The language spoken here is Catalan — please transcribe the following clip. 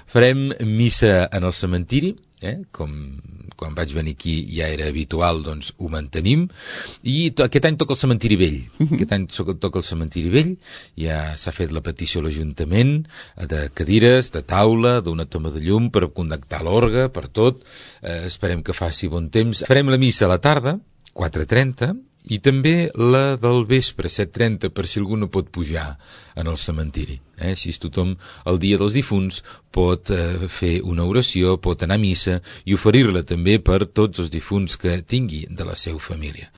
Farem missa en el cementiri, com quan vaig venir aquí ja era habitual, doncs ho mantenim, i aquest any toca el cementiri vell. Aquest any toca el cementiri vell, ja s'ha fet la petició a l'Ajuntament de cadires, de taula, d'una toma de llum per connectar l'orgue, per tot. Esperem que faci bon temps. Farem la missa a la tarda, 4:30, i també la del vespre, 7:30, per si algú no pot pujar en el cementiri. Així tothom el dia dels difunts pot fer una oració, pot anar a missa i oferir-la també per tots els difunts que tingui de la seva família.